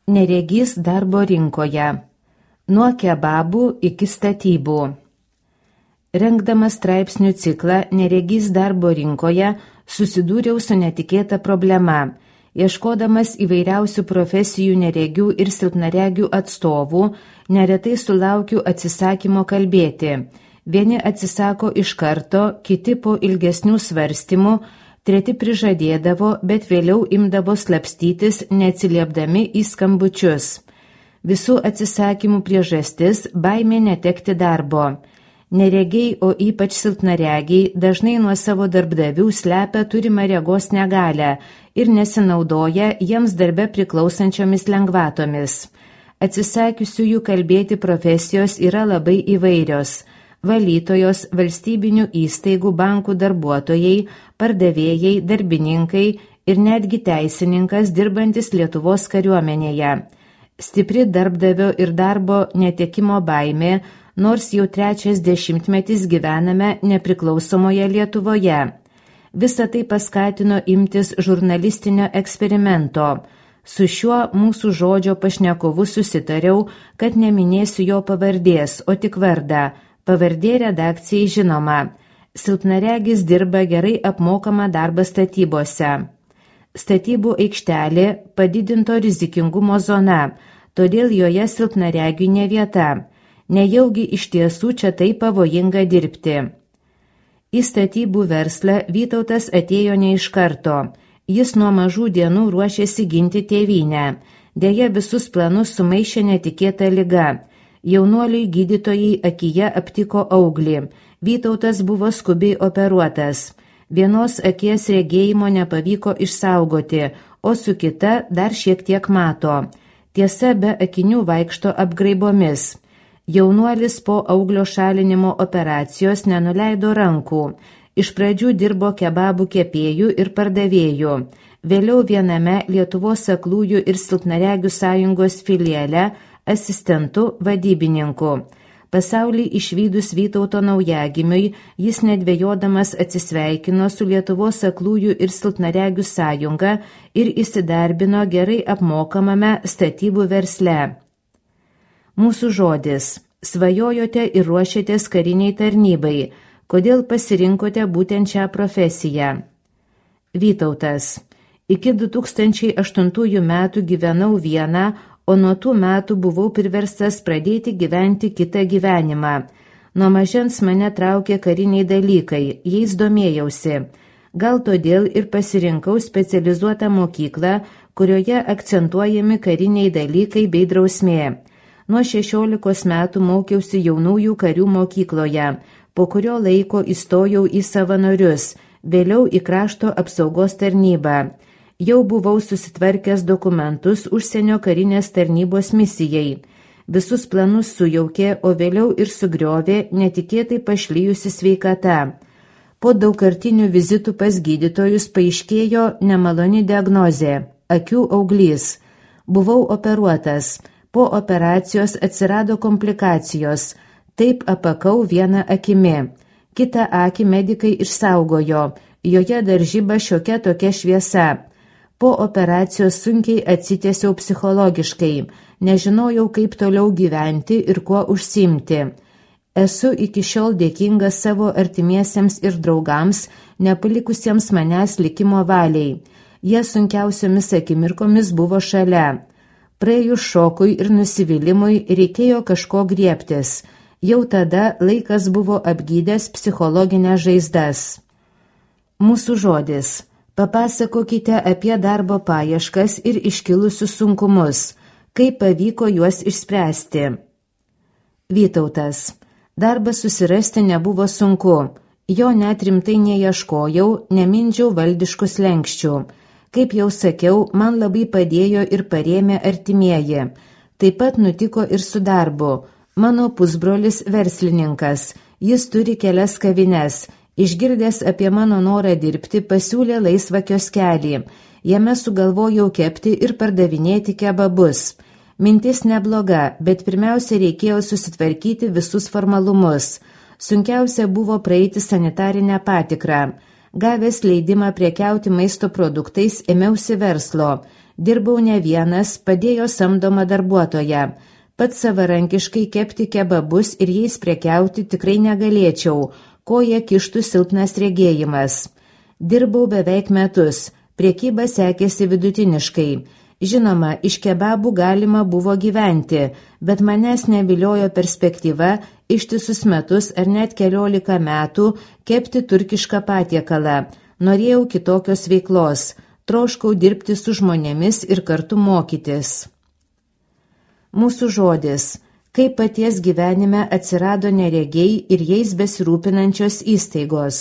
Neregys darbo rinkoje. Nuo kebabų iki statybų. Rengdamas straipsnių ciklą Neregys darbo rinkoje susidūriau su netikėta problema. Ieškodamas įvairiausių profesijų neregių ir silpnaregių atstovų, neretai sulaukiu atsisakymo kalbėti. Vieni atsisako iš karto, kiti po ilgesnių svarstymų, treti prižadėdavo, bet vėliau imdavo slapstytis, neatsiliepdami į skambučius. Visų atsisakymų priežastis – baimė netekti darbo. Neregiai, o ypač silpnaregiai, dažnai nuo savo darbdavių slepia turimą regos negalią ir nesinaudoja jiems darbe priklausančiomis lengvatomis. Atsisakiusiųjų kalbėti profesijos yra labai įvairios. Valytojos, valstybinių įstaigų, bankų darbuotojai, pardavėjai, darbininkai ir netgi teisininkas dirbantis Lietuvos kariuomenėje. Stipri darbdavio ir darbo netekimo baimė, nors jau 3 dešimtmetis gyvename nepriklausomoje Lietuvoje. Visą tai paskatino imtis žurnalistinio eksperimento. Su šiuo mūsų žodžio pašnekovu susitariau, kad neminėsiu jo pavardės, o tik vardą. Pavardė redakcijai žinoma. Silpnaregis dirba gerai apmokamą darbą statybose. Statybų aikštelė padidinto rizikingumo zona, todėl joje silpnaregiui ne vieta. Nejaugi iš tiesų čia taip pavojinga dirbti. Į statybų verslą Vytautas atėjo ne iš karto. Jis nuo mažų dienų ruošėsi ginti tėvynę. Deja, visus planus sumaišė netikėta liga. Jaunuoliui gydytojai akyje aptiko auglį. Vytautas buvo skubiai operuotas. Vienos akies regėjimo nepavyko išsaugoti, o su kita dar šiek tiek mato. Tiesa, be akinių vaikšto apgraibomis. Jaunuolis po auglio šalinimo operacijos nenuleido rankų. Iš pradžių dirbo kebabų kepėjų ir pardavėjų. Vėliau viename Lietuvos aklųjų ir silpnaregių sąjungos filiale asistentų vadybininku. Pasaulį išvydus Vytauto naujagimiui, jis nedvejodamas atsisveikino su Lietuvos aklųjų ir silpnaregių sąjunga ir įsidarbino gerai apmokamame statybų versle. Mūsų žodis. Svajojote ir ruošėtės kariniai tarnybai. Kodėl pasirinkote būtent šią profesiją? Vytautas. Iki 2008 metų gyvenau vieną, o nuo tų metų buvau priverstas pradėti gyventi kitą gyvenimą. Nuo mažens mane traukė kariniai dalykai, jais domėjausi. Gal todėl ir pasirinkau specializuotą mokyklą, kurioje akcentuojami kariniai dalykai bei drausmė. Nuo 16 metų mokiausi jaunųjų karių mokykloje, po kurio laiko įstojau į savanorius, vėliau į krašto apsaugos tarnybą. Jau buvau susitvarkęs dokumentus užsienio karinės tarnybos misijai. Visus planus sujaukė, o vėliau ir sugriovė netikėtai pašlijusi sveikata. Po daugkartinių vizitų pas gydytojus paaiškėjo nemaloni diagnozė – akių auglys. Buvau operuotas. Po operacijos atsirado komplikacijos. Taip apakau vieną akimi. Kitą akį medikai išsaugojo. Joje dar žiba šiokia tokia šviesa. Po operacijos sunkiai atsitiesiau psichologiškai, nežinojau, kaip toliau gyventi ir kuo užsiimti. Esu iki šiol dėkingas savo artimiesiems ir draugams, nepalikusiems manęs likimo valiai. Jie sunkiausiomis akimirkomis buvo šalia. Praėjus šokui ir nusivylimui reikėjo kažko griebtis. Jau tada laikas buvo apgydęs psichologinės žaizdas. Mūsų žodis. Papasakokite apie darbo paieškas ir iškilusius sunkumus. Kaip pavyko juos išspręsti? Vytautas. Darbą susirasti nebuvo sunku. Jo net rimtai neieškojau, nemindžiau valdiškų slenksčių. Kaip jau sakiau, man labai padėjo ir parėmė artimieji. Taip pat nutiko ir su darbu. Mano pusbrolis verslininkas. Jis turi kelias kavines. Išgirdęs apie mano norą dirbti, pasiūlė laisvą kioskelį. Jame sugalvojau kepti ir pardavinėti kebabus. Mintis nebloga, bet pirmiausia reikėjo susitvarkyti visus formalumus. Sunkiausia buvo praeiti sanitarinę patikrą. Gavęs leidimą prekiauti maisto produktais, ėmiausi verslo. Dirbau ne vienas, padėjo samdoma darbuotoja. Pats savarankiškai kepti kebabus ir jais prekiauti tikrai negalėčiau, koja kištų silpnas regėjimas. Dirbau beveik metus, prekyba sekėsi vidutiniškai. Žinoma, iš kebabų galima buvo gyventi, bet manęs neviliojo perspektyva ištisus metus ar net 14 metų kepti turkišką patiekalą. Norėjau kitokios veiklos, troškau dirbti su žmonėmis ir kartu mokytis. Mūsų žodis. Kaip paties gyvenime atsirado neregiai ir jais besirūpinančios įstaigos.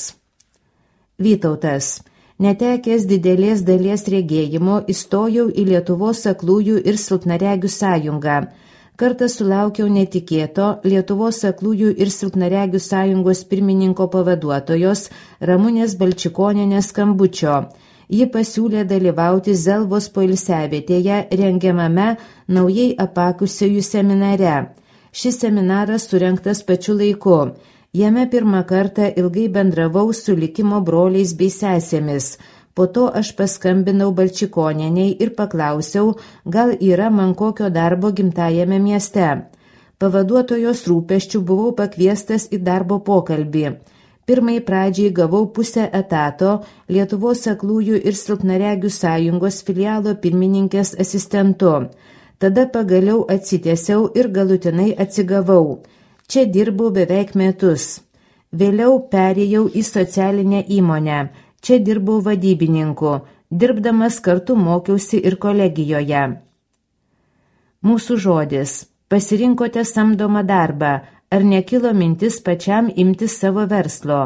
Vytautas. Netekęs didelės dalies regėjimo įstojau į Lietuvos aklųjų ir silpnaregių sąjungą. Kartą sulaukiau netikėto Lietuvos aklųjų ir silpnaregių sąjungos pirmininko pavaduotojos Ramunės Balčikonienės skambučio. Ji pasiūlė dalyvauti Zelvos poilsiavietėje rengiamame naujai apakusiųjų seminare. Šis seminaras surengtas pačiu laiku. Jame pirmą kartą ilgai bendravau su likimo broliais bei sesėmis. Po to aš paskambinau Balčikonieniai ir paklausiau, gal yra man kokio darbo gimtajame mieste. Pavaduotojos rūpesčių buvau pakviestas į darbo pokalbį. Pirmai pradžiai gavau pusę etato Lietuvos aklųjų ir silpnaregių sąjungos filialo pirmininkės asistentu. Tada pagaliau atsitiesiau ir galutinai atsigavau. Čia dirbau beveik metus. Vėliau perėjau į socialinę įmonę. Čia dirbau vadybininku. Dirbdamas kartu mokiausi ir kolegijoje. Mūsų žodis. Pasirinkote samdomą darbą. Ar nekilo mintis pačiam imtis savo verslo?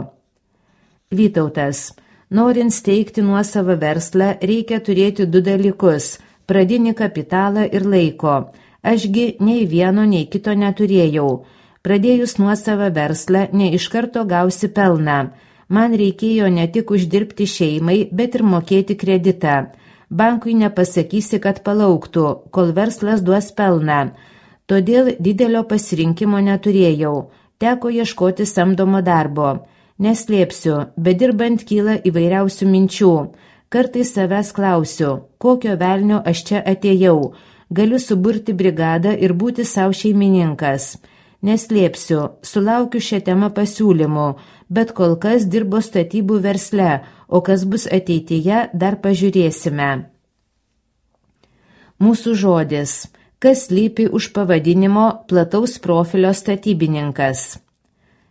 Vytautas. Norint steigti nuosavą verslą, reikia turėti 2 dalykus – pradinį kapitalą ir laiko. Ašgi nei vieno, nei kito neturėjau. Pradėjus nuosavą verslą, ne iš karto gausi pelną. Man reikėjo ne tik uždirbti šeimai, bet ir mokėti kreditą. Bankui nepasakysi, kad palauktų, kol verslas duos pelną. Todėl didelio pasirinkimo neturėjau. Teko ieškoti samdomo darbo. Neslėpsiu, bedirbant kyla įvairiausių minčių. Kartais savęs klausiu, kokio velnio aš čia atėjau. Galiu suburti brigadą ir būti savo šeimininkas. Neslėpsiu, sulaukiu šią temą pasiūlymų, bet kol kas dirbo statybų versle, o kas bus ateityje, dar pažiūrėsime. Mūsų žodis. Kas slypi už pavadinimo plataus profilio statybininkas?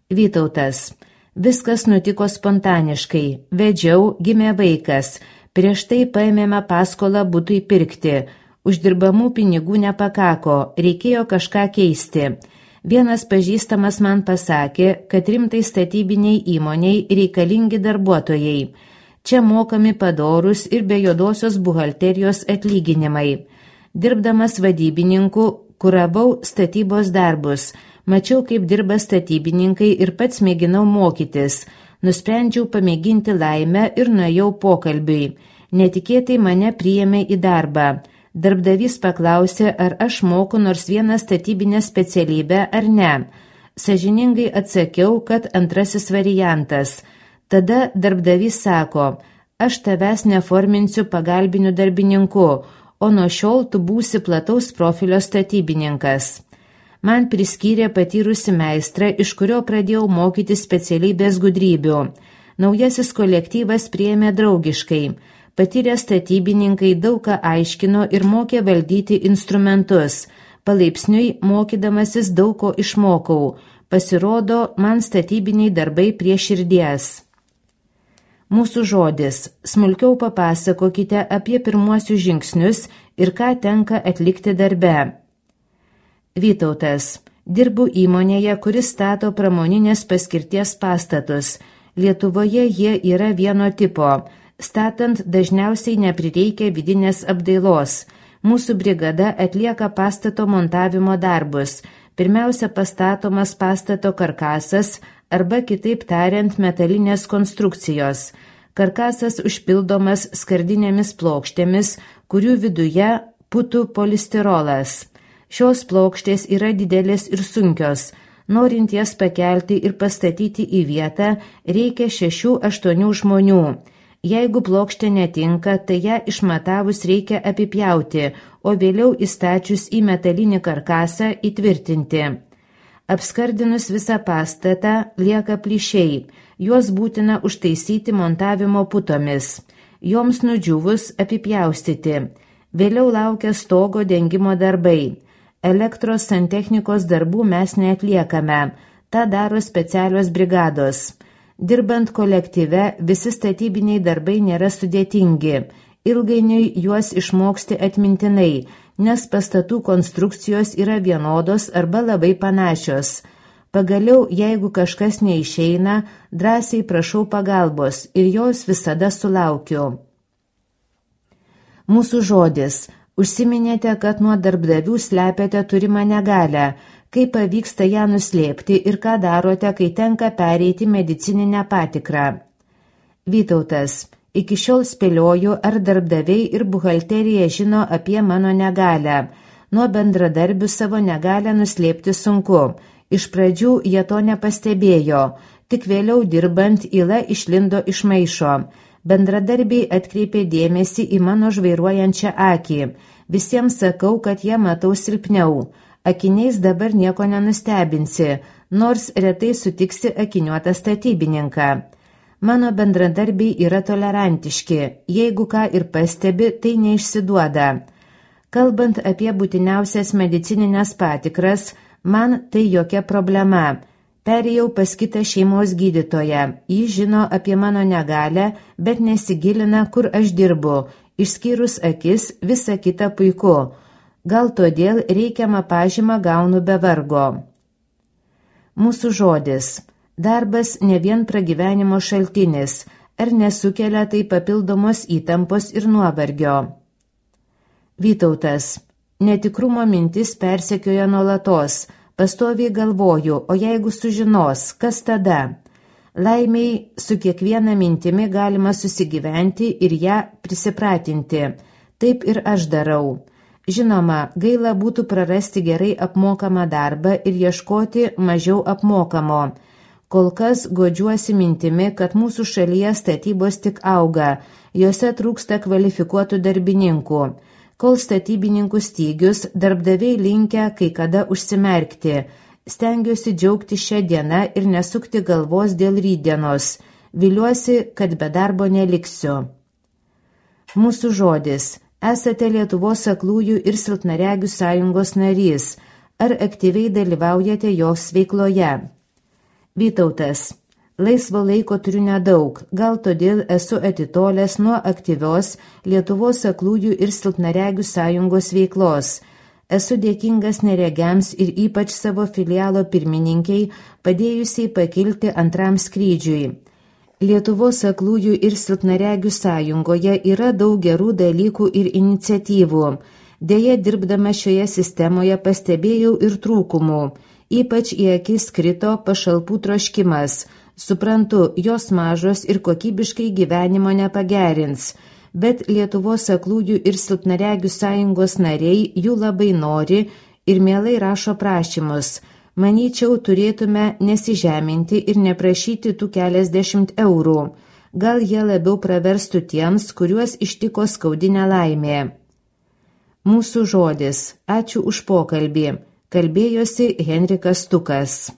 Vytautas. Viskas nutiko spontaniškai. Vedžiau, gimė vaikas. Prieš tai paėmėme paskolą butui pirkti. Uždirbamų pinigų nepakako, reikėjo kažką keisti. Vienas pažįstamas man pasakė, kad rimtai statybiniai įmoniai reikalingi darbuotojai. Čia mokami padorus ir be juodosios buhalterijos atlyginimai. Dirbdamas vadybininku, kuravau statybos darbus. Mačiau, kaip dirba statybininkai ir pats mėginau mokytis. Nusprendžiau pamėginti laimę ir nuėjau pokalbiui. Netikėtai mane priėmė į darbą. Darbdavys paklausė, ar aš moku nors vieną statybinę specialybę ar ne. Sąžiningai atsakiau, kad antrasis variantas. Tada darbdavys sako, aš tavęs neforminsiu pagalbiniu darbininku, o nuo šiol tu būsi plataus profilio statybininkas. Man priskyrė patyrusi meistrą, iš kurio pradėjau mokyti specialybės gudrybių. Naujasis kolektyvas priėmė draugiškai. Patyrę statybininkai daug ką aiškino ir mokė valdyti instrumentus. Palaipsniui mokydamasis daug ko išmokau. Pasirodo, man statybiniai darbai prie širdies. Mūsų žodis. Smulkiau papasakokite apie pirmuosius žingsnius ir ką tenka atlikti darbe. Vytautas. Dirbu įmonėje, kuris stato pramoninės paskirties pastatus. Lietuvoje jie yra vieno tipo. Statant dažniausiai neprireikia vidinės apdailos. Mūsų brigada atlieka pastato montavimo darbus. Pirmiausia pastatomas pastato karkasas arba kitaip tariant metalinės konstrukcijos. Karkasas užpildomas skardinėmis plokštėmis, kurių viduje putų polistirolas. Šios plokštės yra didelės ir sunkios. Norint jas pakelti ir pastatyti į vietą, reikia 6-8 žmonių. Jeigu plokštė netinka, tai ją išmatavus reikia apipjauti, o vėliau įstačius į metalinį karkasą įtvirtinti. Apskardinus visą pastatą lieka plyšiai, juos būtina užtaisyti montavimo putomis, joms nudžiūvus apipjaustyti. Vėliau laukia stogo dengimo darbai. Elektros santechnikos darbų mes neatliekame, tą daro specialios brigados. Dirbant kolektyve, visi statybiniai darbai nėra sudėtingi. Ilgainiui juos išmoksti atmintinai, nes pastatų konstrukcijos yra vienodos arba labai panašios. Pagaliau, jeigu kažkas neišeina, drąsiai prašau pagalbos ir jos visada sulaukiu. Mūsų žodis. Užsiminėte, kad nuo darbdavių slepiate turimą negalią. Kaip pavyksta ją nuslėpti ir ką darote, kai tenka pereiti medicininę patikrą? Vytautas. Iki šiol spėlioju, ar darbdaviai ir buhalterija žino apie mano negalią. Nuo bendradarbių savo negalią nuslėpti sunku. Iš pradžių jie to nepastebėjo, tik vėliau dirbant yla išlindo iš maišo. Bendradarbiai atkreipė dėmesį į mano žvairuojančią akį. Visiems sakau, kad jie matau silpniau. Akiniais dabar nieko nenustebinsi, nors retai sutiksi akiniuotą statybininką. Mano bendradarbiai yra tolerantiški, jeigu ką ir pastebi, tai neišsiduoda. Kalbant apie būtiniausias medicininės patikras, man tai jokia problema. Perėjau pas kitą šeimos gydytoją, jis žino apie mano negalią, bet nesigilina, kur aš dirbu, išskyrus akis, visa kita puiku. Gal todėl reikiamą pažymą gaunu be vargo. Mūsų žodis. Darbas ne vien pragyvenimo šaltinis, ar nesukelia tai papildomos įtampos ir nuovargio. Vytautas. Netikrumo mintis persekioja nuolatos, pastoviai galvoju, o jeigu sužinos, kas tada? Laimiai, su kiekviena mintimi galima susigyventi ir ją prisipratinti. Taip ir aš darau. Žinoma, gaila būtų prarasti gerai apmokamą darbą ir ieškoti mažiau apmokamo. Kol kas godžiuosi mintimi, kad mūsų šalyje statybos tik auga, jose trūksta kvalifikuotų darbininkų. Kol statybininkų stygius, darbdaviai linkę kai kada užsimerkti. Stengiuosi džiaugti šią dieną ir nesukti galvos dėl rytdienos. Viliuosi, kad be darbo neliksiu. Mūsų žodis. Esate Lietuvos aklųjų ir silpnaregių sąjungos narys. Ar aktyviai dalyvaujate jos veikloje? Vytautas. Laisvo laiko turiu nedaug, gal todėl esu atitolęs nuo aktyvios Lietuvos aklųjų ir silpnaregių sąjungos veiklos. Esu dėkingas neregiams ir ypač savo filialo pirmininkiai, padėjusiai pakilti antram skrydžiui. Lietuvos aklųjų ir silpnaregių sąjungoje yra daug gerų dalykų ir iniciatyvų. Deja, dirbdama šioje sistemoje pastebėjau ir trūkumų. Ypač į akis krito pašalpų troškimas. Suprantu, jos mažos ir kokybiškai gyvenimo nepagerins. Bet Lietuvos aklųjų ir silpnaregių sąjungos nariai jų labai nori ir mielai rašo prašymus. Manyčiau, turėtume nesižeminti ir neprašyti tų keliasdešimt eurų. Gal jie labiau praverstų tiems, kuriuos ištiko skaudi nelaimė. Mūsų žodis. Ačiū už pokalbį. Kalbėjosi Henrikas Stukas.